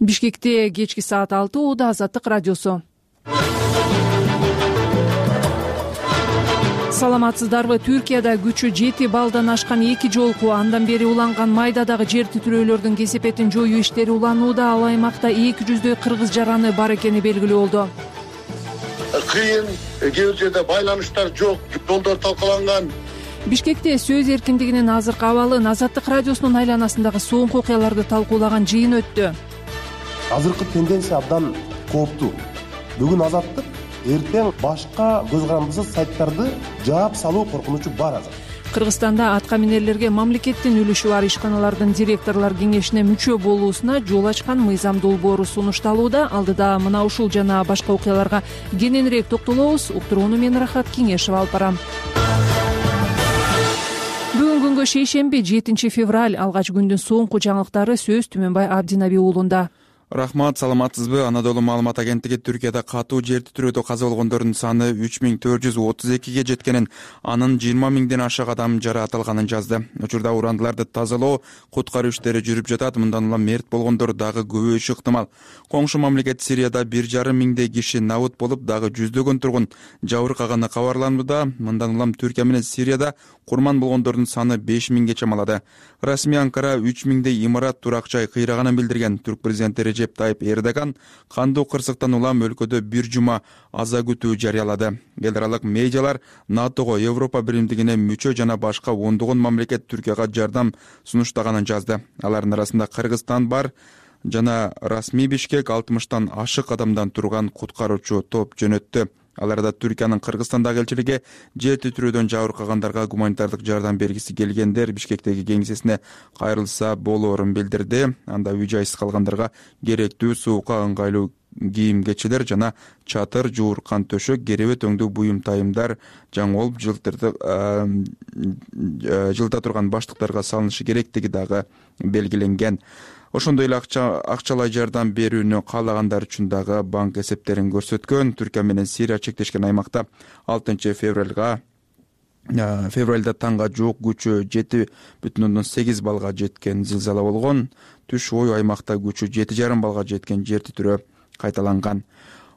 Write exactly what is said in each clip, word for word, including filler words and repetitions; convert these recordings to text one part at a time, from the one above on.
Бишкекте кечки саат алты ууда Азаттык радиосу. Саламатсыздарбы? Түркияда күчү жети баллдан ашкан эки жолку андан бери уланган майдадагы жер титирөөлөрдүн кесепетин жоюу иштери уланууда. Ал аймакта эки жүздөй кыргыз жараны бар экени белгилүү болду. Кыйын, кээ бир жерде байланыштар жок, жолдор талкаланган. Бишкекте сөз эркиндигинин азыркы абалын Азаттык радиосунун айланасындагы соңку окуяларды талкуулаган жыйын өттү. Азыркы тенденция абдан кооптуу. Бүгүн Азаттык, эртең башка көз карандысыз сайттарды жаап салуу коркунучу бар азыр. Кыргызстанда атка минерлерге мамлекеттин үлүшү бар ишканалардын директорлор кеңешине мүчө болуусуна жол ачкан мыйзам долбоору сунушталууда. Алдыда мына ушул жана башка окуяларга кененирээк токтолобуз. Уктурууну мен Рахат Кеңешева алып барам. Бүгүн күнгө шейшемби жетинчи февраль алгач күндүн соңку жаңылыктары сөз Түмөнбай Абдинаби уулунда. Рахмат, саламатсызбы? Анадолу маалымат агенттиги Түркияда катуу жер титирөөдө каза болгондордун саны үч миң төрт жүз отуз экиге жеткенин, анын жыйырма миңден ашык адам жаратылганын жазды. Учурда урандыларды тазалоо, куткаруу иштери жүрүп жатат. Мындан улам мерт болгондор дагы көбөйүшү ыктымал. Коңшу мамлекет Сирияда бир жарым миңдей киши набыт болуп, дагы жүздөгөн тургун жабыркаганы кабарланууда. Мындан улам Түркия менен Сирияда курман болгондордун саны беш миңге чамалады. Расмий Анкара үч миңдей имарат, турак жай кыйраганын билдирген. Түрк президенти Режеп Тайып Эрдоган кандуу кырсыктан улам өлкөдө бир жума аза күтүү жарыялады. Эл аралык медиалар НАТОго, Европа биримдигине мүчө жана башка ондогон мамлекет Түркияга жардам сунуштаганын жазды. Алардын арасында Кыргызстан бар жана расмий Бишкек алтымыштан ашык адамдан турган куткаруучу топ жөнөттү. Аларда Түркиянын Кыргызстандагы элчилиги жер титирөөдөн жабыркагандарга гуманитардык жардам бергиси келгендер Бишкектеги кеңсесине кайрылса болоорун билдирди. Анда үй-жайсыз калгандарга керектүү суукка ыңгайлуу кийим-кечелер жана чатыр, жууркан төшөк, керебет өңдүү буюм тайымдар жаңылып жылда турган баштыктарга салынышы керектиги дагы белгиленген. Ошондой эле акчалай жардам берүүнү каалагандар үчүн дагы банк эсептерин көрсөткөн. Түркия менен Сирия чектешкен аймакта алтынчы февралга февралда таңга жуук күчү жети бүтүн ондон сегиз баллга жеткен зилзала болгон. Түш ой аймакта күчү жети жарым баллга жеткен жер титирөө кайталанган.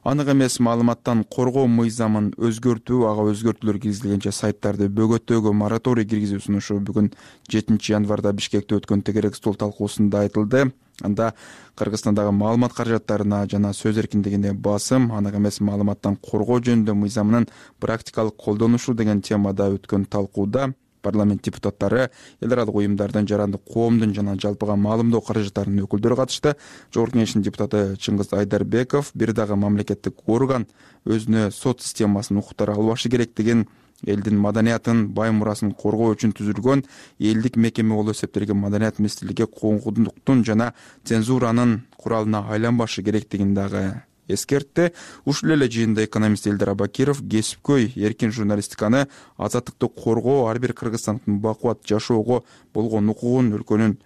Анык эмес маалыматтан коргоо мыйзамын өзгөртүү, ага өзгөртүүлөр киргизилгенче сайттарды бөгөттөөгө мораторий киргизүү сунушу бүгүн жетинчи январда Бишкекте өткөн тегерек стол талкуусунда айтылды. Анда Кыргызстандагы маалымат каражаттарына жана сөз эркиндигине басым, анык эмес маалыматтан коргоо жөнүндө мыйзамынын практикалык колдонушу деген темада өткөн талкууда парламент депутаттары, эл аралык уюмдардын, жарандык коомдун жана жалпыга маалымдоо каражаттарынын өкүлдөрү катышты. Жогорку Кеңештин депутаты Чыңгыз Айдарбеков бир дагы мамлекеттик орган өзүнө сот системасын укуктар албашы керектигин, элдин маданиятын, бай мурасын коргоо үчүн түзүлгөн элдик мекеме болуп эсептелген Маданият министрлиги коомдуктун жана цензуранын куралына айланбашы керектигин дагы эскертти. Ушул эле жыйында экономист Элдар Абакиров кесипкөй эркин журналистиканы, азаттыкты коргоо ар бир кыргызстандын бакубат жашоого болгон укугун, өлкөнүн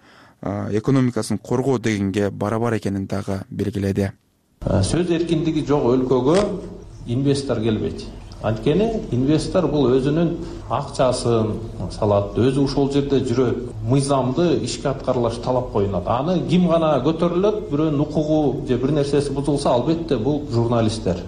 экономикасын коргоо дегенге барабар экенин дагы белгиледи. Сөз эркиндиги жок өлкөгө инвестор келбейт. Анткени инвестор бул өзүнүн акчасын салат, өзү ошол жерде жүрөт, мыйзамды ишке аткарылыш талап коюнат. Аны ким гана көтөрүлөт, бирөөнүн укугу же бир нерсеси бузулса, албетте бул журналисттер.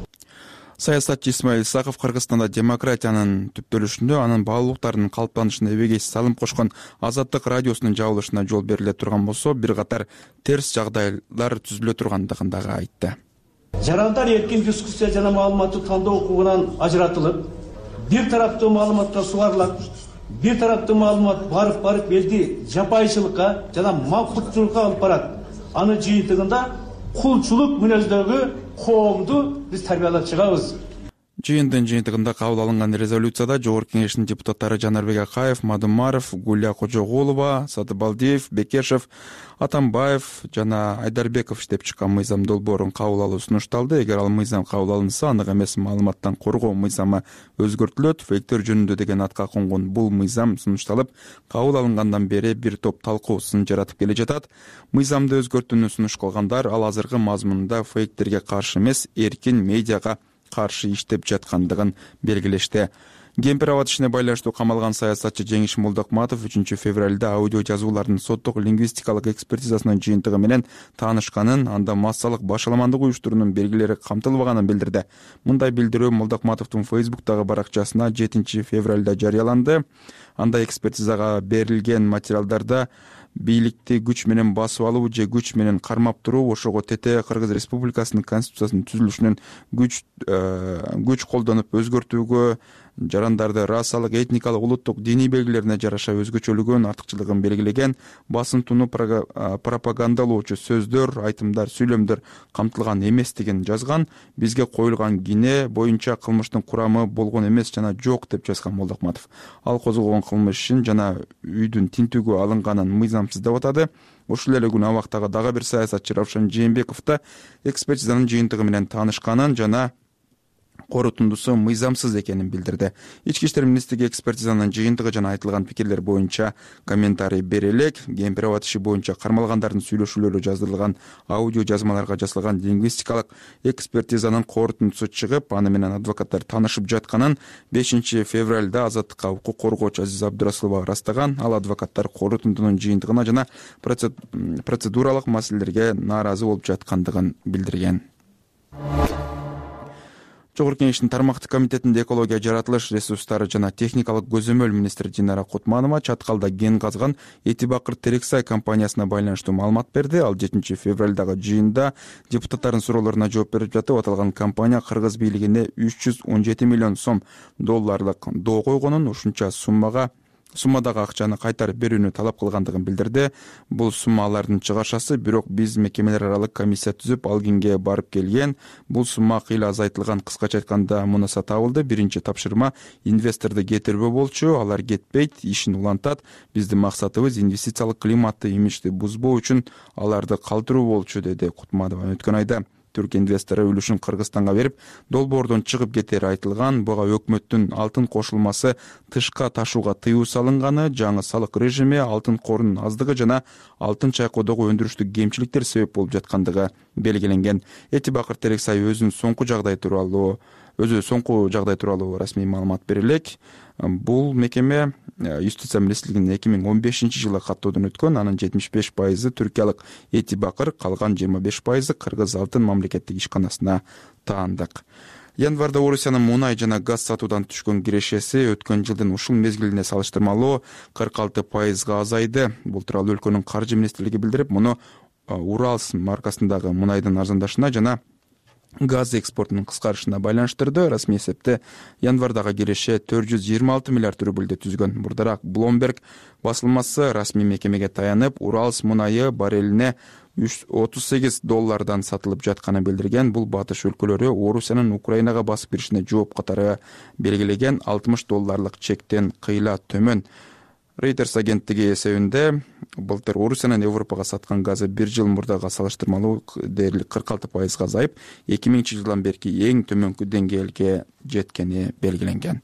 Саясатчы Исмаил Исаков Кыргызстанда демократиянын түптөлүшүндө, анын баалуулуктарынын калыптанышына эбегейсиз салым кошкон Азаттык радиосунун жабылышына жол бериле турган болсо, бир катар терс жагдайлар түзүлө тургандыгын дагы айтты. Жарандар эркин дискуссия жана маалыматты тандоо укугунан ажыратылып, бир тараптуу маалыматка сугарылат, бир тараптуу маалымат барып барып элди жапайчылыкка жана максатчылыкка алып барат. Аны жыйынтыгында кулчулук мүнөздөгү коомду биз тарбиялап чыгабыз. Жыйындын жыйынтыгында кабыл алынган резолюцияда Жогорку Кеңештин депутаттары Жанарбек Акаев, Мадумаров, Гулия Кожогулова, Сатыбалдиев, Бекешев, Атамбаев жана Айдарбеков иштеп чыккан мыйзам долбоорун кабыл алуу сунушталды. Эгер ал мыйзам кабыл алынса, анык эмес маалыматтан коргоо мыйзамы өзгөртүлөт. Фейктер жөнүндө деген атка конгон бул мыйзам сунушталып, кабыл алынгандан бери бир топ талкуу сын жаратып келе жатат. Мыйзамды өзгөртүүнү сунуш кылгандар ал азыркы мазмунунда фейктерге каршы эмес, эркин медиага каршы иштеп жаткандыгын белгилешти. кемпир абад ишине байланыштуу камалган саясатчы Жеңиш Молдокматов үчүнчү февралда аудио жазуулардын соттук лингвистикалык экспертизасынын жыйынтыгы менен таанышканын, анда массалык башаламандык уюштуруунун белгилери камтылбаганын билдирди. Мындай билдирүү Молдокматовдун Фейсбуктагы баракчасына жетинчи февралда жарыяланды. Анда экспертизага берилген материалдарда бийликти күч менен басып алуу же күч менен кармап туруу, ошого тете Кыргыз Республикасынын конституциясынын түзүлүшүнөн күч күч колдонуп өзгөртүүгө, жарандарды расалык, этникалык, улуттук, диний белгилерине жараша өзгөчөлүгөн, артыкчылыгын белгилеген, басым туну пропагандалоочу сөздөр, айтымдар, сүйлөмдөр камтылган эместигин жазган. Бизге коюлган кине боюнча кылмыштын курамы болгон эмес жана жок деп жазган Молдокматов. Ал козголгон кылмыштын жана үйдүн тинтүүгө алынганын мыйзамсыз деп атады. Ушул эле күнү абактагы дагы бир саясатчы Равшан Жээнбеков да экспертизанын жыйынтыгы менен таанышканын жана корутундусу мыйзамсыз экенин билдирди. Ички иштер министрлиги экспертизанын жыйынтыгы жана айтылган пикирлер боюнча комментарий бере элек. Кемпир абад иши боюнча кармалгандардын сүйлөшүүлөрү жаздырылган аудио жазмаларга жасалган лингвистикалык экспертизанын корутундусу чыгып, аны менен адвокаттар таанышып жатканын бешинчи февралда Азаттыкка укук коргоочу Азиз Абдырасулова ырастаган. Ал адвокаттар корутундунун жыйынтыгына жана процедуралык маселелерге нааразы болуп жаткандыгын билдирген. Жогорку Кеңештин тармактык комитетинде экология, жаратылыш ресурстары жана техникалык көзөмөл министри Динара Кутманова Чаткалда кен казган Эти Бакыр Терексай компаниясына байланыштуу маалымат берди. Ал жетинчи февралдагы жыйында депутаттардын суроолоруна жооп берип жатып, аталган компания кыргыз бийлигине үч жүз он жети миллион сом долларлык доо койгонун, ушунча суммага суммадагы акчаны кайтарып берүүнү талап кылгандыгын билдирди. Бул сумма алардын чыгашасы, бирок биз мекемелер аралык комиссия түзүп ал кенге барып келген. Бул сумма кыйла азайтылган. Кыскача айтканда мунаса табылды. Биринчи тапшырма инвесторду кетирбөө болчу. Алар кетпейт, ишин улантат. Биздин максатыбыз инвестициялык климатты, имиджди бузбоо үчүн аларды калтыруу болчу, деди Кутманова. Өткөн айда Түрк инвестору үлүшүн Кыргызстанга берип, долбоордон чыгып кетери айтылган. Буга өкмөттүн алтын кошулмасы тышка ташууга тыюу салынганы, жаңы салык режими, алтын корунун аздыгы жана алтын чайкоодогу өндүрүштүк кемчиликтер себеп болуп жаткандыгы белгиленген. Эти Бакыр Терексай өзүнүн соңку жагдай тууралуу өзү соңку жагдай тууралуу расмий маалымат бере элек. Бул мекеме юстиция министрлигинин эки миң он бешинчи жылы каттоодон өткөн. Анын жетимиш беш пайызы түркиялык Эти Бакыр, калган жыйырма беш пайызы Кыргыз Алтын мамлекеттик ишканасына таандык. Январда Орусиянын мунай жана газ сатуудан түшкөн кирешеси өткөн жылдын ушул мезгилине салыштырмалуу кырк алты пайызга азайды. Бул тууралуу өлкөнүн каржы министрлиги билдирип, муну Уралс маркасындагы мунайдын арзандашына жана газ экспортунун кыскарышына байланыштырды. Расмий эсепте январдагы киреше төрт жүз жыйырма алты миллиард рубльди түзгөн. Мурдараак Bloomberg басылмасы расмий мекемеге таянып, Уралс мунайы баррелине отуз сегиз доллардан сатылып жатканын билдирген. Бул батыш өлкөлөрү Орусиянын Украинага басып киришине жооп катары белгилеген алтымыш долларлык чектен кыйла төмөн. Reuters агенттиги эсебинде былтыр Орусиянын Европага саткан газы бир жыл мурдага салыштырмалуу дээрлик кырк алты пайызга азайып, эки миңинчи жылдан берки эң төмөнкү деңгээлге жеткени белгиленген.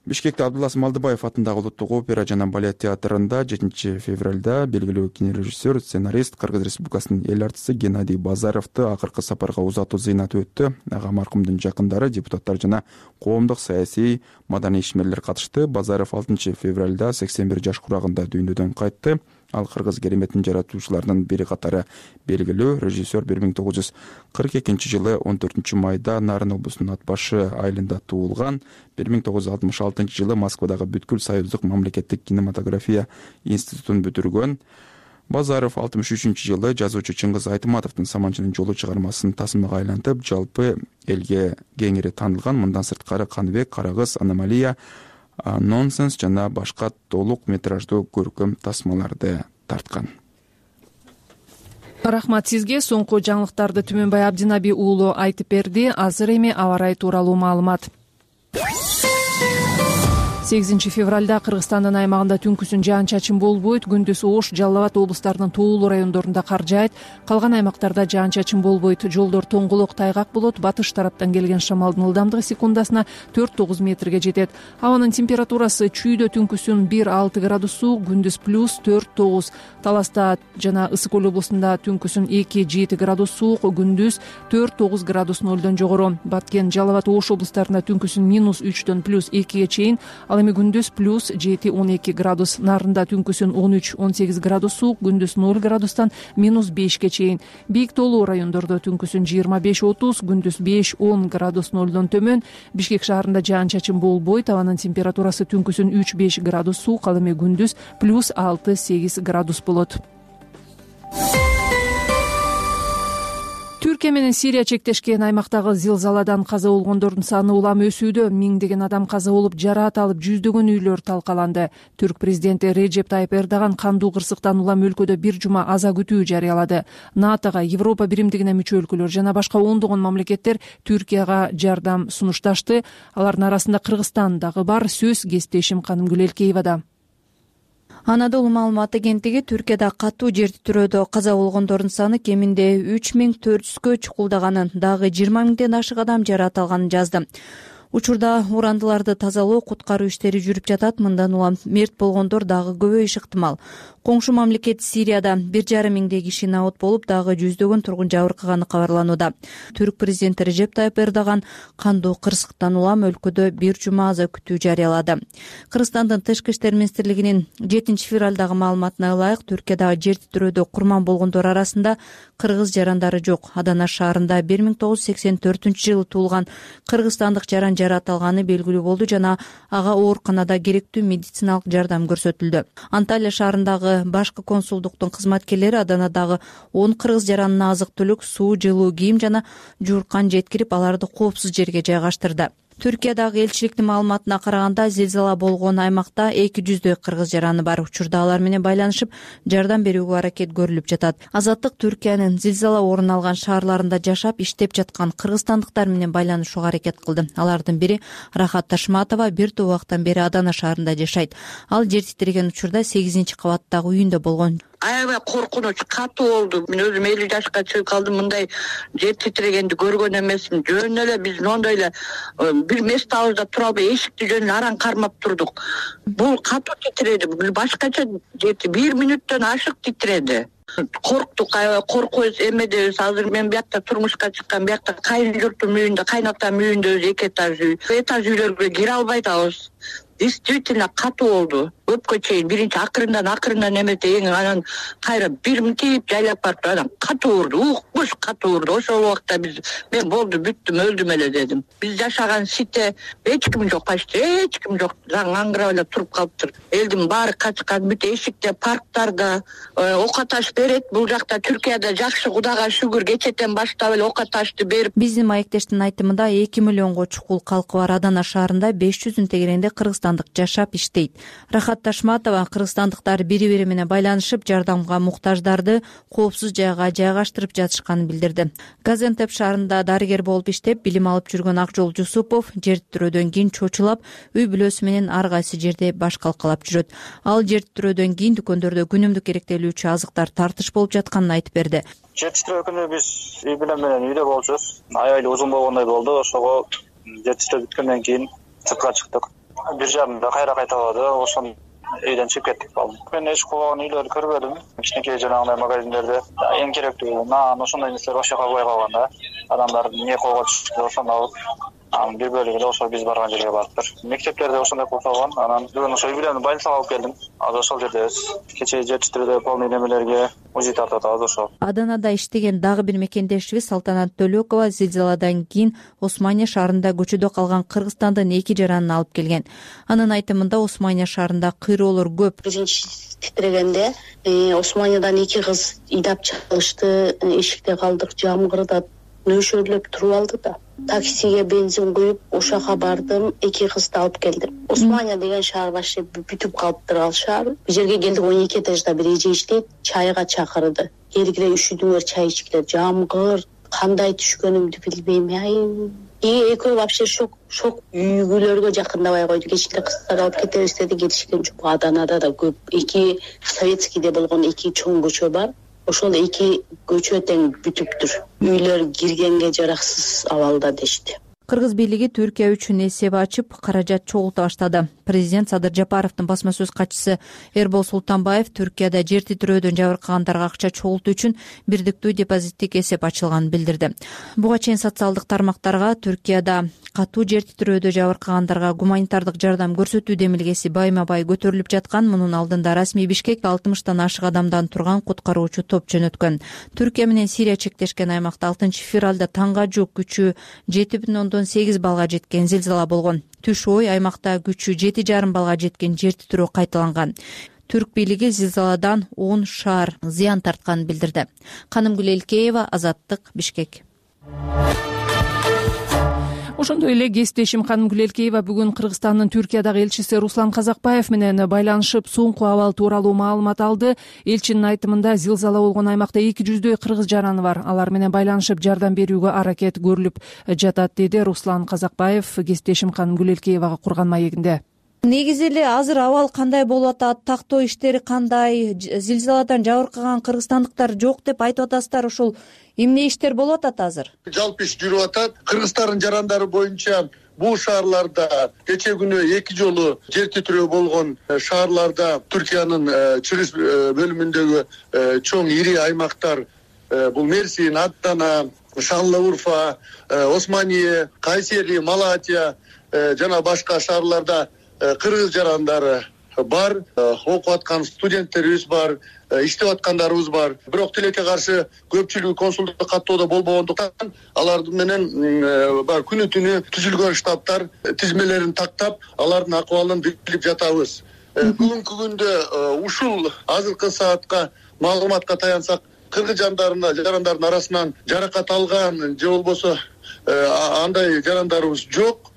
Бишкекте Абдуллас Малдыбаев атындагы Улуттук опера жана балет театрында жетинчи февралда белгилүү кинорежиссер, сценарист, Кыргыз Республикасынын эл артисти Геннадий Базаровду акыркы сапарга узатуу зыйнаты өттү. Ага маркумдун жакындары, депутаттар жана коомдук, саясий, маданий ишмерлер катышты. Базаров алтынчы февралда сексен бир жаш курагында дүйнөдөн кайтты. Ал кыргыз кереметин жаратуучуларынын бири катары белгилүү режиссер бир миң тогуз жүз кырк экинчи жылы он төртүнчү майда Нарын облусунун Ат башы айылында туулган. бир миң тогуз жүз алтымыш алтынчы жылы Москвадагы Бүткүл Союздук мамлекеттик кинематография институтун бүтүргөн. Базаров алтымыш үчүнчү жылы жазуучу Чыңгыз Айтматовдун Саманчынын жолу чыгармасын тасмага айлантып, жалпы элге кеңири таанылган. Мындан сырткары Каныбек, Карагыз, Аномалия, Нонсенс жана башка толук метраждуу көркөм тасмаларды тарткан. Рахмат сизге. Соңку жаңылыктарды Түмөнбай Абдинаби уулу айтып берди. Азыр эми аба ырайы тууралуу маалымат. сегизинчи февралда Кыргызстандын аймагында түнкүсүн жаан-чачын болбойт. Күндүз Ош, Жалал Абад облустарынын тоолуу райондорунда кар жаайт. Калган аймактарда жаан-чачын болбойт. Жолдор тоңголок, тайгак болот. Батыш тараптан келген шамалдын ылдамдыгы секундасына төрт тогуз метрге жетет. Абанын температурасы чүйдө түнкүсүн бир алты градус суук, күндүз плюс төрт тогуз. Таласта жана Ысык Көл облусунда түнкүсүн эки жети градус суук, күндүз төрт тогуз градус нолдон жогору. Баткен, Жалал Абад, Ош облустарында түнкүсүн минус үчтөн плюс экиге чейин, ал эми күндүз плюс жети он эки градус. Нарында түнкүсүн он үч он сегиз градус суук, күндүз ноль градустан минус бешке чейин. Бийик тоолуу райондордо түнкүсүн жыйырма беш отуз, күндүз беш он градус нолдон төмөн. Бишкек шаарында жаан-чачын болбойт. Абанын температурасы түнкүсүн үч беш градус суук, ал эми күндүз плюс алты сегиз градус болот. Түркия менен Сирия чектешкен аймактагы зилзаладан каза болгондордун саны улам өсүүдө. Миңдеген адам каза болуп, жараат алып, жүздөгөн үйлөр талкаланды. Түрк президенти Реджеп Тайып Эрдоган кандуу кырсыктан улам өлкөдө бир жума аза күтүү жарыялады. натога, Европа биримдигине мүчө өлкөлөр жана башка ондогон мамлекеттер Түркияга жардам сунушташты. Алардын арасында Кыргызстан дагы бар. Сөз кесиптешим Канымгүл Элкеевада. Анадолу маалымат агенттиги Түркияда катуу жер титирөөдө каза болгондордун саны кеминде үч миң төрт жүзгө чукулдаганын, дагы жыйырма миңден ашык адам жараат алганын жазды. Учурда урандыларды тазалоо, куткаруу иштери жүрүп жатат. Мындан улам мерт болгондор дагы көбөйүшү ыктымал. Коңшу мамлекет Сирияда бир жарым миңдей киши набыт болуп, дагы жүздөгөн тургун жабыркаганы кабарланууда. Түрк президенти Реджеп Тайып Эрдоган кандуу кырсыктан улам өлкөдө бир жума аза күтүү жарыялады. Кыргызстандын тышкы иштер министрлигинин жетинчи февралдагы маалыматына ылайык, Түркиядагы жер титирөөдө курман болгондор арасында кыргыз жарандары жок. Адана шаарында бир миң тогуз жүз сексен төртүнчү жылы туулган кыргызстандык жаран жараат алганы белгилүү болду жана ага ооруканада керектүү медициналык жардам көрсөтүлдү. Анталия шаарындагы башкы консулдуктун кызматкерлери Аданадагы он кыргыз жаранына азык-түлүк, суу, жылуу кийим жана жууркан жеткирип, аларды коопсуз жерге жайгаштырды. Түркиядагы элчиликтин маалыматына караганда, зилзала болгон аймакта эки жүздөй кыргыз жараны бар. Учурда алар менен байланышып, жардам берүүгө аракет көрүлүп жатат. Азаттык Түркиянын зилзала орун алган шаарларында жашап, иштеп жаткан кыргызстандыктар менен байланышууга аракет кылды. Алардын бири Рахат Ташматова бир топ убакыттан бери Адана шаарында жашайт. Ал жер титиреген учурда сегизинчи кабаттагы үйүндө болгон. Аябай коркунуч, катуу болду. Мен өзүм элүү жашка чыгып калдым, мындай жер титирегенди көргөн эмесмин. Жөн эле биз мондой эле бир местабызда тура албай эшикти жөн эле араң кармап турдук. Бул катуу титиреди, бул башкача жети бир мүнөттөн ашык титиреди. Корктук, аябай коркубуз, эмедебиз. Азыр мен биякта турмушка чыккан, биякта кайын журтум үйүндө, кайнатам үйүндө өзү эки этаж үй. Этаж үйлөргө кире албай атабыз. Действительно катуу болду. Өпкө чейин биринчи акырындан акырындан эмете эң анан кайра бир мынтип жайлап барып анан катуу урду, укмуш катуу урду. Ошол убакта биз мен болду, бүттүм, өлдүм эле дедим. Биз жашаган сите эч ким жок, почти эч ким жок. Заң аңгырап эле туруп калыптыр. Элдин баары качкан, бүт эшикте, парктарда ок аташ берет. Бул жакта Түркияда жакшы, Кудайга шүгүр, кечетен баштап эле ок аташты берип. Биздин маектештин айтымында эки миллионго чукул калкы бар Адана шаарында беш жүздүн тегерегинде кыргызстандык жашап иштейт. Рахат Ташматова кыргызстандыктар бири-бири менен байланышып, жардамга муктаждарды коопсуз жайга жайгаштырып жатышканын билдирди. Газентеп шаарында дарыгер болуп иштеп, билим алып жүргөн Акжол Жусупов жер титирөөдөн кийин чочулап, үй бүлөсү менен ар кайсы жерде баш калкалап жүрөт. Ал жер титирөөдөн кийин дүкөндөрдө күнүмдүк керектелүүчү азыктар тартыш болуп жатканын айтып берди. Жер титирөө күнү биз үй бүлөм менен үйдө болчубуз. Аябай узун болгондой болду. Ошого жер титирөө бүткөндөн кийин сыртка чыктык. Бир жарымда кайра кайталады. Ошон үйдөн чыгып кеттик балым. Мен эч кубаган үйлөрдү көрбөдүм. Кичинекей жанагындай магазиндерде эң керектүү нан, ошондой нерселер ошол жака кой калган да. Адамдар эмне колго түштү, ошону алып, анан бир бөлүгү эле ошол биз барган жерге барыптыр. Мектептерде ошондой кылып калган. Анан бүгүн ошол үй бүлөнү больницага алып келдим. Азыр ошол жердебиз. Кечээ жер титирөөдө полный немелерге узи тартып атабыз ошол. Аданада иштеген дагы бир мекендешибиз Салтанат Төлөкова зилзаладан кийин Османия шаарында көчөдө калган Кыргызстандын эки жаранын алып келген. Анын айтымында Османия шаарында кыйроолор көп. Биринчи титирегенде Османиядан эки кыз ыйдап чалышты, эшикте калдык, жамгырда нөшөрлөп туруп алды да. Таксиге бензин куюп, ошака бардым, эки кызды алып келдим. Османия деген шаар башка бүтүп калыптыр ал шаар. Бул жерге келдик, он эки этажда бир эже иштейт, чайга чакырды. Келгиле üşүдүңөр, чай ичкиле, жамгыр, кандай түшкөнүмдү билбейм. Ай, и экөө вообще шок шок үйгүлөргө жакындабай койду. Кечинде кыздарды алып кетебиз деди, кетишкен жок. Аданада да көп. Эки советскийде болгон эки чоң көчө бар. Ошол эки көчө тең бүтүптүр. Үйлөр киргенге жараксыз абалда дешти. Кыргыз бийлиги Түркия үчүн эсеп ачып, каражат чогулта баштады. Президент Садыр Жапаровдун басма сөз катчысы Эрбол Султанбаев Түркияда жер титирөөдөн жабыркагандарга акча чогултуу үчүн бирдиктүү депозиттик эсеп ачылганын билдирди. Буга чейин социалдык тармактарга Түркияда катуу жер титирөөдө жабыркагандарга гуманитардык жардам көрсөтүү демилгеси байма-бай көтөрүлүп жаткан. Мунун алдында расмий Бишкек алтымыштан ашык адамдан турган куткаруучу топ жөнөткөн. Түркия менен Сирия чектешкен аймакта алтынчы февралда таңга жук күчү жети бүтүн ондон сегиз баллга жеткен зилзала болгон. Түш ой аймакта күчү жети жарым баллга жеткен жер титирөө кайталанган. Түрк бийлиги зилзаладан он шаар зыян тартканын билдирди. Канымгүл Элкеева, Азаттык, Бишкек. Ошондой эле кесиптешим Канымгүл Элкеева бүгүн Кыргызстандын Түркиядагы элчиси Руслан Казакбаев менен байланышып, соңку абал тууралуу маалымат алды. Элчинин айтымында зилзала болгон аймакта эки жүздөй кыргыз жараны бар. Алар менен байланышып жардам берүүгө аракет көрүлүп жатат, деди Руслан Казакбаев кесиптешим Канымгүл Элкеевага курган маегинде. Негизи эле азыр абал кандай болуп атат, тактоо иштери кандай, зилзаладан жабыркаган кыргызстандыктар жок деп айтып атасыздар. Ошол эмне иштер болуп атат азыр? Жалпы иш жүрүп атат. Кыргызстандын жарандары боюнча бул шаарларда кече күнү эки жолу жер титирөө болгон шаарларда Түркиянын чыгыш бөлүмүндөгү чоң ири аймактар бул Мерсин, Адана, Шанлы-Урфа, Османие, Кайсери, Малатия жана башка шаарларда кыргыз жарандары бар, окуп аткан студенттерибиз бар, иштеп аткандарыбыз бар. Бирок тилекке каршы көпчүлүгү консулдук каттоодо болбогондуктан алар менен бар күнү түнү түзүлгөн штабтар тизмелерин тактап, алардын акыбалын билип жатабыз. Бүгүнкү күндө ушул азыркы саатка маалыматка таянсак, кыргыз жарандардын арасынан жаракат алган же болбосо андай жарандарыбыз жок.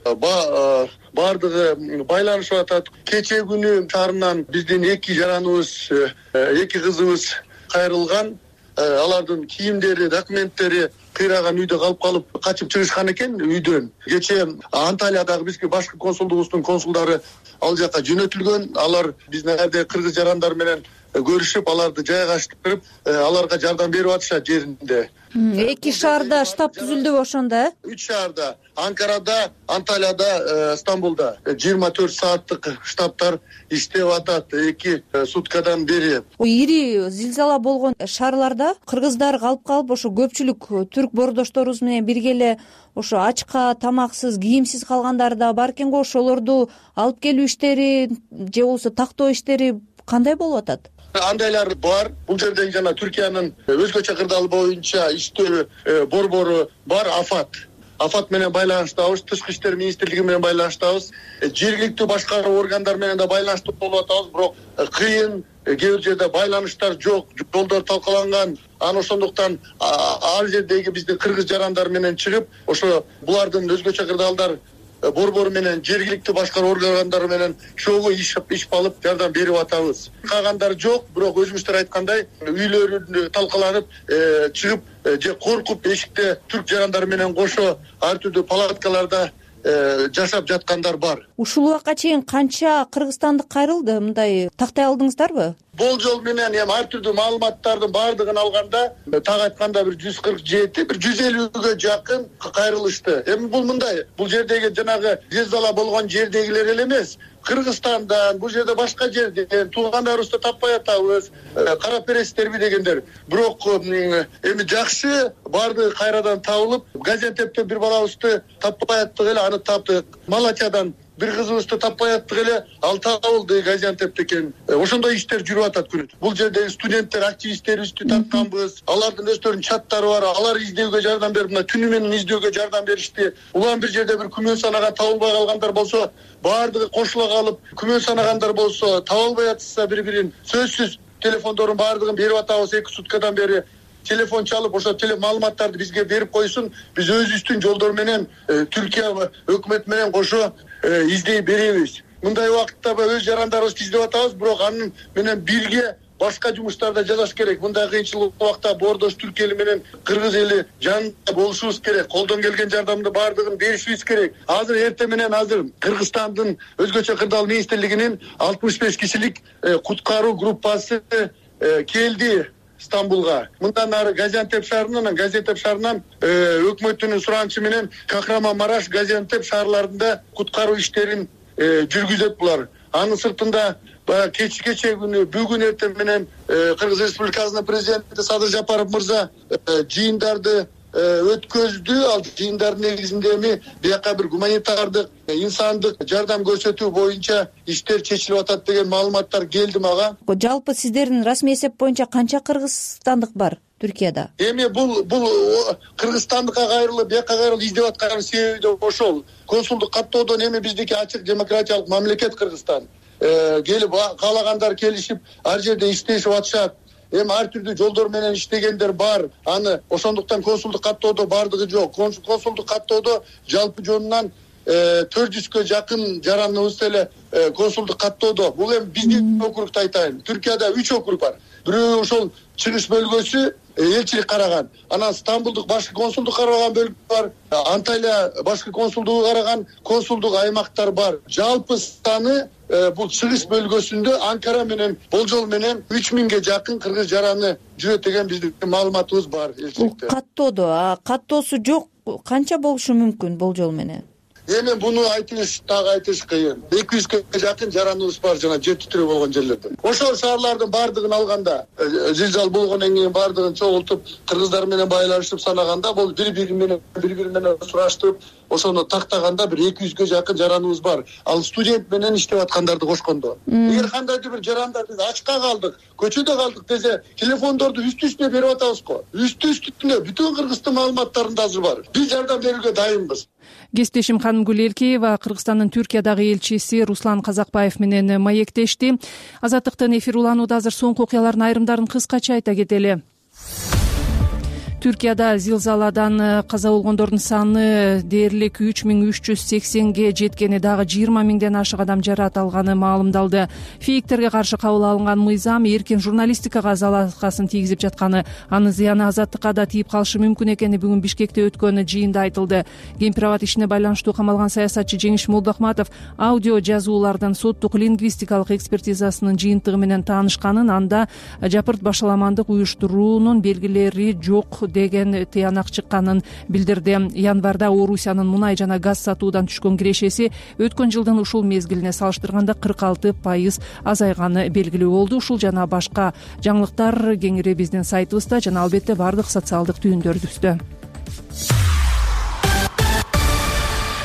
Бардыгы байланышып атат. Кече күнү шаарынан биздин эки жараныбыз, эки кызыбыз кайрылган. Алардын кийимдери, документтери кыйраган үйдө калып калып качып чыгышкан экен үйдөн. Кече Анталиядагы бизге башкы консулдугубуздун консулдары ал жака жөнөтүлгөн. Алар биздин эрде кыргыз жарандар менен көрүшүп, аларды жайгаштырып, аларга жардам берип атышат жеринде. Эки шаарда штаб түзүлдүбү ошондо, э? Үч шаарда, Анкарада, Анталияда, Стамбулда жыйырма төрт сааттык штабтар иштеп атат эки суткадан бери. Ири зилзала болгон шаарларда кыргыздар калып калып, ошо көпчүлүк түрк боордошторубуз менен бирге эле ошо ачка, тамаксыз, кийимсиз калгандар да бар экен го. Ошолорду алып келүү иштери же болбосо тактоо иштери кандай болуп атат? Андайлар бар. Бул жерде жана Түркиянын өзгөчө кырдаал боюнча иштөө борбору бар, Афат. Афат менен байланыштабыз, Тышкы иштер министрлиги менен байланыштабыз, жергиликтүү башкаруу органдар менен да байланышта болуп атабыз, бирок кыйын, кээ бир жерде байланыштар жок, жолдор талкаланган. Аны ошондуктан ал жердеги биздин кыргыз жарандар менен чыгып, ошо булардын өзгөчө кырдаалдар борбору менен жергиликтүү башкаруу органдары менен чогуу иш иш алып жардам берип атабыз. Калгандар жок, бирок өзүңүздөр айткандай үйлөрү талкаланып чыгып же коркуп эшикте түрк жарандары менен кошо ар түрдүү палаткаларда жашап жаткандар бар. Ушул убакка чейин канча кыргызстандык кайрылды? Мындай тактай алдыңыздарбы? Болжол менен эми ар түрдүү маалыматтардын баардыгын алганда, так айтканда бир жүз кырк жети, бир жүз элүүгө жакын кайрылышты. Эми бул мындай, бул жердеги жанагы зилзала болгон жердегилер эле эмес. Кыргызстандан, бул жерде башка жерден туугандарыбызды таппай атабыз, кара перестерби дегендер. Бирок эми жакшы баардыгы кайрадан табылып, Газиантептен бир балабызды таппай аттык эле, аны таптык. Малатиядан бир кызыбызды таппай аттык эле, ал табылды Газиантепте экен. Ошондой иштер жүрүп атат күнү. Бул жердеги студенттер, активисттерибизди тартканбыз. Алардын өздөрүнүн чаттары бар. Алар издөөгө жардам берип, мына түнү менен издөөгө жардам беришти. Улам бир жерде бир күмөн санаган табылбай калгандар болсо, баардыгы кошула калып, күмөн санагандар болсо, табылбай атса бири-бирин сөзсүз телефондорун баардыгын берип атабыз эки суткадан бери. Телефон чалып, ошо теле маалыматтарды бизге берип койсун. Биз өзүбүздүн жолдор менен Түркия өкмөтү менен кошо издей беребиз. Мындай убакытта өз жарандарыбызды издеп атабыз, бирок аны менен бирге башка жумуштарда жасаш керек. Мындай кыйынчылык убакта Боордош Түрк эли менен Кыргыз эли жанында болушубуз керек. Колдон келген жардамды баардыгын беришибиз керек. Азыр эртең менен азыр Кыргызстандын өзгөчө кырдаал министрлигинин алтымыш беш кишилик куткаруу группасы келди Стамбулга. Мындан ары Газиантеп шаарынан, Газиантеп шаарынан өкмөттүн суранычы менен Кахраман-Мараш, Газиантеп шаарларында куткаруу иштерин жүргүзөт булар. Анын сыртында кечки кече күнү бүгүн эртең менен Кыргыз Республикасынын президенти Садыр Жапаров мырза жыйындарды өткөздү. Ал жыйындардын негизинде эми бияка бир гуманитардык, инсандык жардам көрсөтүү боюнча иштер чечилип атат деген маалыматтар келди мага. Жалпы сиздердин расмий эсеп боюнча канча кыргызстандык бар Түркияда? Эми бул бул Кыргызстандыкка кайрылып, бияка кайрылып издеп аткан себеби да ошол. Консулдук каттоодон эми биздики ачык демократиялык мамлекет Кыргызстан. Келип каалагандар келишип ар жерде иштешип атышат. Эми ар түрдүү жолдор менен иштегендер бар. Аны ошондуктан консулдук каттоодо бардыгы жок. Консулдук каттоодо жалпы жонунан төрт жүзгө жакын жараныбыз эле консулдук каттоодо. Бул эми биздин округду айтайын. Түркияда үч округ бар. Бирөө ошол чыгыш бөлгөсү элчилик караган. Анан Стамбулдук башкы консулдук караган бөлгө бар. Анталия башкы консулдугу караган консулдук аймактар бар. Жалпы саны бул чыгыш бөлгөсүндө Анкара менен болжол менен үч миңге жакын кыргыз жараны жүрөт деген биздин маалыматыбыз бар элчиликте. Каттоодо, каттоосу жок канча болушу мүмкүн болжол менен? Эми буну айтыш так айтыш кыйын. эки жүзгө жакын жараныбыз бар жана жер титирөө болгон жерлерде. Ошол шаарлардын бардыгын алганда, зилзал болгондон кийин бардыгын чогултуп, кыргыздар менен байланышып санаганда, бул бири-бири менен бири-бири менен сураштырып, ошону тактаганда бир эки жүзгө жакын жараныбыз бар. Ал студент менен иштеп аткандарды кошкондо. Эгер кандайдыр бир жарандар биз ачка калдык, көчөдө калдык десе, телефондорду үстү-үстүнө берип атабыз го. Үстү-үстүнө бүтүн Кыргыздын маалыматтарында азыр бар. Биз жардам берүүгө дайынбыз. Кесиптешим Ханымгүл Элкеева Кыргызстандын Түркиядагы элчиси Руслан Казакбаев менен маектешти. Азаттыктын эфир уланууда азыр соңку окуялардын айрымдарын кыскача айта кетели. Түркияда зилзаладан каза болгондордун саны дээрлик үч миң үч жүз сексенге жеткени, дагы жыйырма миңден ашык адам жарат алганы маалымдалды. Фейктерге каршы кабыл алынган мыйзам эркин журналистикага залалаткасын тийгизип жатканы, анын зыяны азаттыкка да тийип калышы мүмкүн экени бүгүн Бишкекте өткөн жыйында айтылды. Гемпирабад ишине байланыштуу камалган саясатчы Жеңиш Молдохматов аудио жазуулардын соттук лингвистикалык экспертизасынын жыйынтыгы менен таанышканын, анда жапырт башаламандык уюштуруунун белгилери жок деген тыянак чыкканын билдирди. Январда Орусиянын мунай жана газ сатуудан түшкөн кирешеси өткөн жылдын ушул мезгилине салыштырганда кырк алты пайыз азайганы белгилүү болду. Ушул жана башка жаңылыктар кеңири биздин сайтыбызда жана албетте бардык социалдык түйүндөрүбүздө.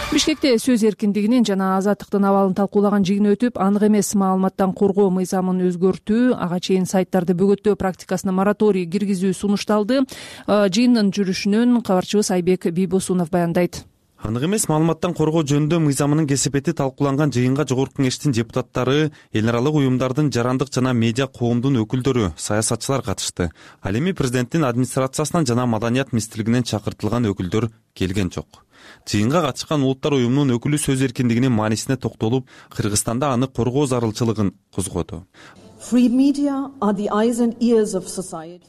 Бишкекте сөз эркиндигинин жана азаттыктын абалын талкуулаган жыйын өтүп, анык эмес маалыматтан коргоо мыйзамын өзгөртүү, ага чейин сайттарды бөгөттөө практикасына мораторий киргизүү сунушталды. Жыйындын жүрүшүнөн кабарчыбыз Айбек Бийбосунов баяндайт. Анык эмес маалыматтан коргоо жөнүндө мыйзамынын кесепети талкууланган жыйынга Жогорку Кеңештин депутаттары, эл аралык уюмдардын, жарандык жана медиа коомдун өкүлдөрү, саясатчылар катышты. Ал эми президенттин администрациясынан жана маданият министрлигинен чакыртылган өкүлдөр келген жок. Жыйынга катышкан улуттар уюмунун өкүлү сөз эркиндигинин маанисине токтолуп, Кыргызстанда аны коргоо зарылчылыгын козгоду.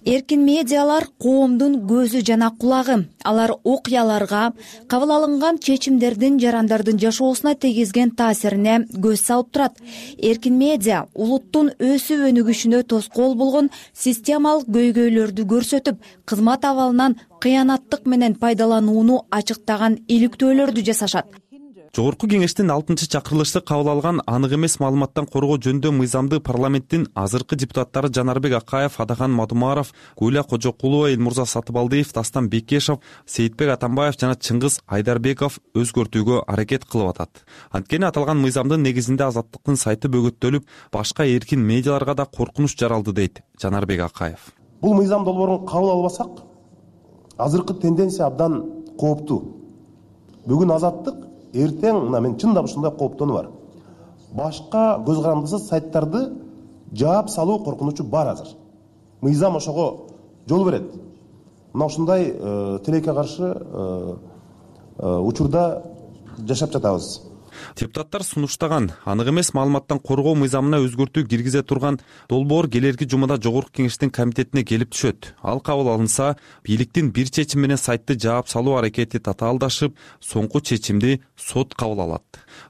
Эркин медиалар коомдун көзү жана кулагы. Алар окуяларга, кабыл алынган чечимдердин жарандардын жашоосуна тийгизген таасирине көз салып турат. Эркин медиа улуттун өсүп өнүгүшүнө тоскоол болгон системалык көйгөйлөрдү көрсөтүп, кызмат абалынан кыянаттык менен пайдаланууну ачыктаган иликтөөлөрдү жасашат. Жогорку Кеңештин алтынчы чакырылышы кабыл алган анык эмес маалыматтан коргоо жөнүндө мыйзамды парламенттин азыркы депутаттары Жанарбек Акаев, Адахан Мадумаров, Гуля Кожокулова, Элмурза Сатыбалдиев, Дастан Бекешев, Сейитбек Атамбаев жана Чыңгыз Айдарбеков өзгөртүүгө аракет кылып атат. Анткени аталган мыйзамдын негизинде азаттыктын сайты бөгөттөлүп, башка эркин медиаларга да коркунуч жаралды, дейт Жанарбек Акаев. Бул мыйзам долбоорун кабыл албасак, азыркы тенденция абдан кооптуу. Бүгүн азаттык, эртең мына мен чындап ушундай кооптонуу бар. Башка көз карандысыз сайттарды жаап салуу коркунучу бар азыр. Мыйзам ошого жол берет. Мына ушундай тилекке каршы учурда жашап жатабыз. Депутаттар сунуштаган анык эмес маалыматтан коргоо мыйзамына өзгөртүү киргизе турган долбоор келерки жумада жогорку кеңештин комитетине келип түшөт. Ал кабыл алынса, бийликтин бир чечим менен сайтты жаап салуу аракети татаалдашып, соңку чечимди сот кабыл алат.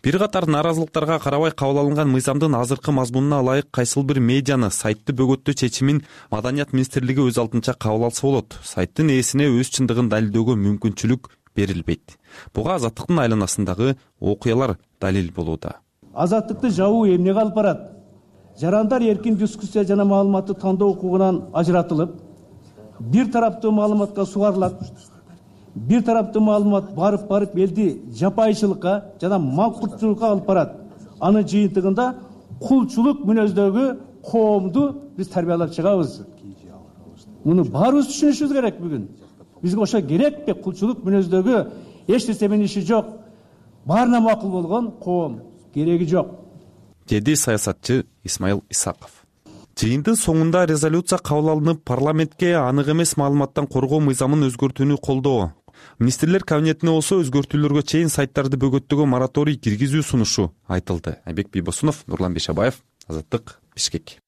Бир катар нааразылыктарга карабай кабыл алынган мыйзамдын азыркы мазмунуна ылайык кайсыл бир медианы сайтты бөгөттөө чечимин Маданият министрлиги өз алдынча кабыл алса болот. Сайттын ээсине өз чындыгын далилдөөгө мүмкүнчүлүк берилбейт. Буга Азаттыктын айланасындагы окуялар далил болууда. Азаттыкты жабуу эмнеге алып барат? Жарандар эркин дискуссия жана маалыматты тандоо укугунан ажыратылып, бир тараптуу маалыматка сугарылат. Бир тараптуу маалымат барып-барып элди жапайчылыкка жана макулчулукка алып барат. Анын жыйынтыгында кулчулук мүнөздөгү коомду биз тарбиялап чыгабыз. Муну баарыбыз түшүнүшүбүз керек бүгүн. Бизге ошо керекпи? Кулчулук мүнөздөгү эч нерсе менен иши жок. Баарына макул болгон коом кереги жок, деди саясатчы Исмаил Исаков. Жыйындын соңунда резолюция кабыл алынып, парламентке анык эмес маалыматтан коргоо мыйзамын өзгөртүүнү колдоо. Министрлер кабинетине болсо өзгөртүүлөргө чейин сайттарды бөгөттөөгө мораторий киргизүү сунушу айтылды. Айбек Бийбосунов, Нурлан Бейшабаев, Азаттык, Бишкек.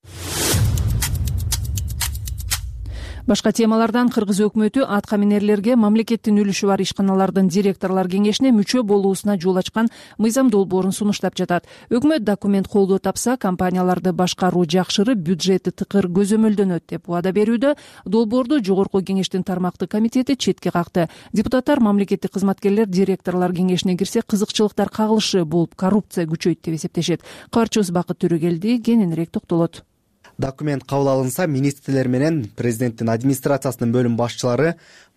Башка темалардан Кыргыз өкмөтү атка минерлерге мамлекеттин үлүшү бар ишканалардын директорлор кеңешине мүчө болуусуна жол ачкан мыйзам долбоорун сунуштап жатат. Өкмөт документ колдоо тапса, компанияларды башкаруу жакшырып, бюджети тыкыр көзөмөлдөнөт деп убада берүүдө. Долбоорду жогорку кеңештин тармактык комитети четке какты. Депутаттар мамлекеттик кызматкерлер директорлор кеңешине кирсе, кызыкчылыктар кагылышы болуп, коррупция күчөйт деп эсептешет. Кабарчыбыз Бакыт Төрөгелди кененирээк токтолот. Документ кабыл алынса, министрлер менен президенттин администрациясынын бөлүм башчылары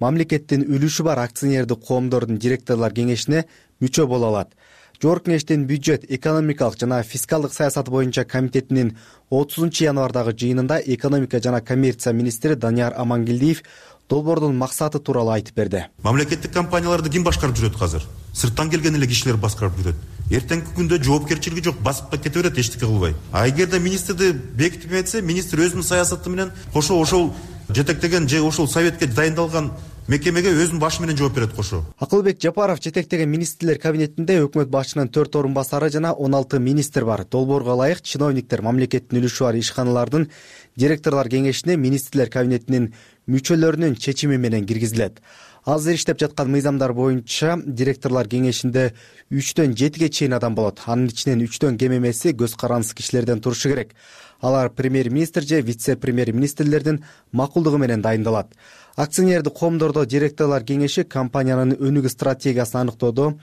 мамлекеттин үлүшү бар акционердик коомдордун директорлор кеңешине мүчө боло алат. Жогорку кеңештин бюджет, экономикалык жана фискалдык саясат боюнча комитетинин отузунчу январдагы жыйынында экономика жана коммерция министри Данияр Амангелдиев долбоордун максаты тууралуу айтып берди. Мамлекеттик компанияларды ким башкарып жүрөт азыр? Сырттан келген эле кишилер башкарып жүрөт. Эртеңки күндө жоопкерчилиги жок, басып кете берет эчтеке кылбай. А эгерде министрди бекитип этсе, министр өзүнүн саясаты менен кошо ошол жетектеген же ошол советке дайындалган мекемеге өзүнүн башы менен жооп берет кошо. Акылбек Жапаров жетектеген министрлер кабинетинде өкмөт башчынын төрт орун басары жана он алты министр бар. Долбоорго ылайык чиновниктер мамлекеттин үлүшү бар ишканалардын директорлор кеңешине министрлер кабинетинин мүчөлөрүнүн чечими менен киргизилет. Азыр иштеп жаткан мыйзамдар боюнча директорлор кеңешинде үчтөн жетиге чейин адам болот. Анын ичинен үчтөн кем эмеси көз карандысы кишилерден турушу керек. Алар премьер-министр же вице-премьер-министрлердин макулдугу менен дайындалат. Акционердик коомдордо директорлор кеңеши компаниянын өнүгүү стратегиясын аныктоодо,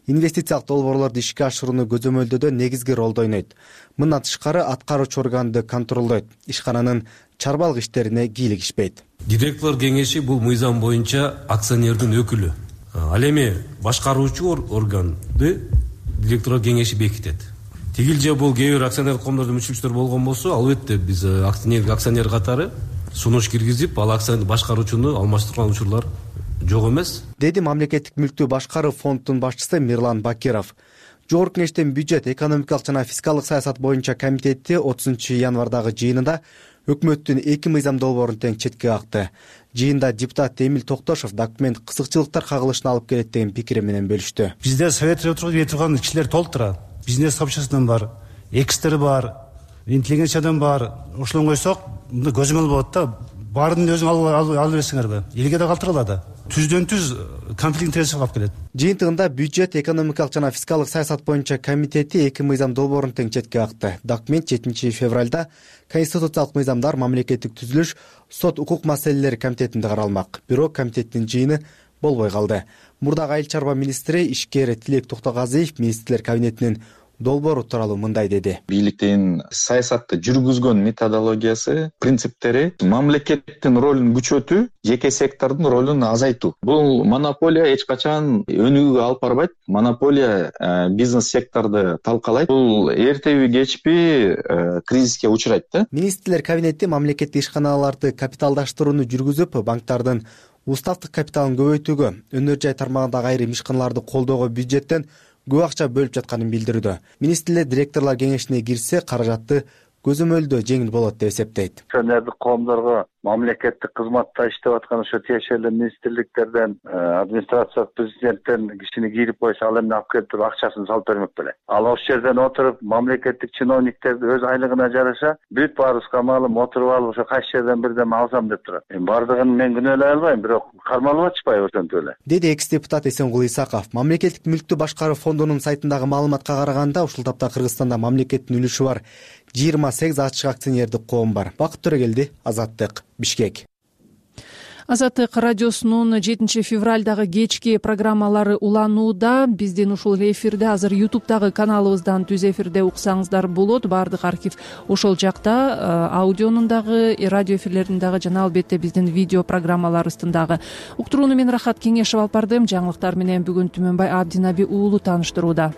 инвестициялык долбоорлорду ишке ашырууну көзөмөлдөөдө негизги ролду ойнойт. Мындан тышкары аткаруучу органды контролдойт. Ишкананын чарбалык иштерине кийлигишпейт. Директорлор кеңеши бул мыйзам боюнча акционердин өкүлү. Ал эми башкаруучу органды директорлор кеңеши бекитет. Тигил же бул кээ бир акционердик коомдордун мүчөлчүлөр болгон болсо, албетте биз акционер катары сунуш киргизип, ал акционер башкаруучуну алмаштырган учурлар жок эмес, деди мамлекеттик мүлктү башкаруу фондунун башчысы Мирлан Бакиров. Жогорку кеңештин бюджет, экономикалык жана фискалдык саясат боюнча комитети отузунчу январдагы жыйынында өкмөттүн эки мыйзам долбоорун тең четке какты. Жыйында депутат Эмил Токтошов документ кызыкчылыктар кагылышына алып келет деген пикири менен бөлүштү. Бизде советте отуруп турган кишилер толтура. Бизнес сообществодан бар, экстер бар, интеллигенциядан бар. Ошолон койсок, мында көзөмөл болот да. Баарын өзүң алып берсеңерби? Элге да калтырыла да. Түздөн түз конфликт интересов алып келет. Жыйынтыгында бюджет, экономикалык жана фискалдык саясат боюнча комитети эки мыйзам долбоорун тең четке какты. Документ жетинчи февралда конституциялык мыйзамдар, мамлекеттик түзүлүш, сот укук маселелери комитетинде каралмак. Бирок комитеттин жыйыны болбой калды. Мурдагы айыл чарба министри ишкер Тилек Токтогазиев министрлер кабинетинин долбоору тууралуу мындай деди. Бийликтин саясатты жүргүзгөн методологиясы, принциптери мамлекеттин ролун күчөтүү, жеке сектордун ролун азайтуу. Бул монополия эч качан өнүгүүгө алып барбайт. Монополия э, бизнес секторду талкалайт. Бул эртеби кечпи э, кризиске учурайт да. Министрлер кабинети мамлекеттик ишканаларды капиталдаштырууну жүргүзүп, банктардын уставдык капиталын көбөйтүүгө, өнөр жай тармагындагы айрым ишканаларды колдоого бюджеттен көп акча бөлүп жатканын билдирүүдө. Министрлер директорлор кеңешине кирсе, каражатты көзөмөлдөө жеңил болот деп эсептейт. Акционердик коомдорго мамлекеттик кызматта иштеп аткан ошо тиешелүү министрликтерден, администрация президенттен кишини кирип койсо, ал эмне алып келип туруп акчасын салып бермек беле. Ал ошол жерден отуруп мамлекеттик чиновниктерди өз айлыгына жараша бүт баарыбызга маалым отуруп алып ошо кайсы жерден бирдеме алсам деп турат. Эми бардыгын мен күнөөлөй албайм, бирок кармалып атышпайбы ошентип эле, деди экс депутат Эсенгул Исаков. Мамлекеттик мүлктү башкаруу фондунун сайтындагы маалыматка караганда ушул тапта Кыргызстанда мамлекеттин үлүшү бар жыйырма сегиз ачык акционердик коом бар. Бакыт Төрөгелди, Азаттык, Бишкек. Азаттык радиосунун жетинчи февралдагы кечки программалары уланууда. Биздин ушул эфирде азыр ютубтагы каналыбыздан түз эфирде уксаңыздар болот. Баардык архив ошол жакта, аудионун дагы, радио эфирлердин дагы жана албетте биздин видео программаларыбыздын дагы. Уктурууну мен Рахат Кеңешев алып бардым. Жаңылыктар менен бүгүн Түмөнбай Абдинаби уулу тааныштырууда.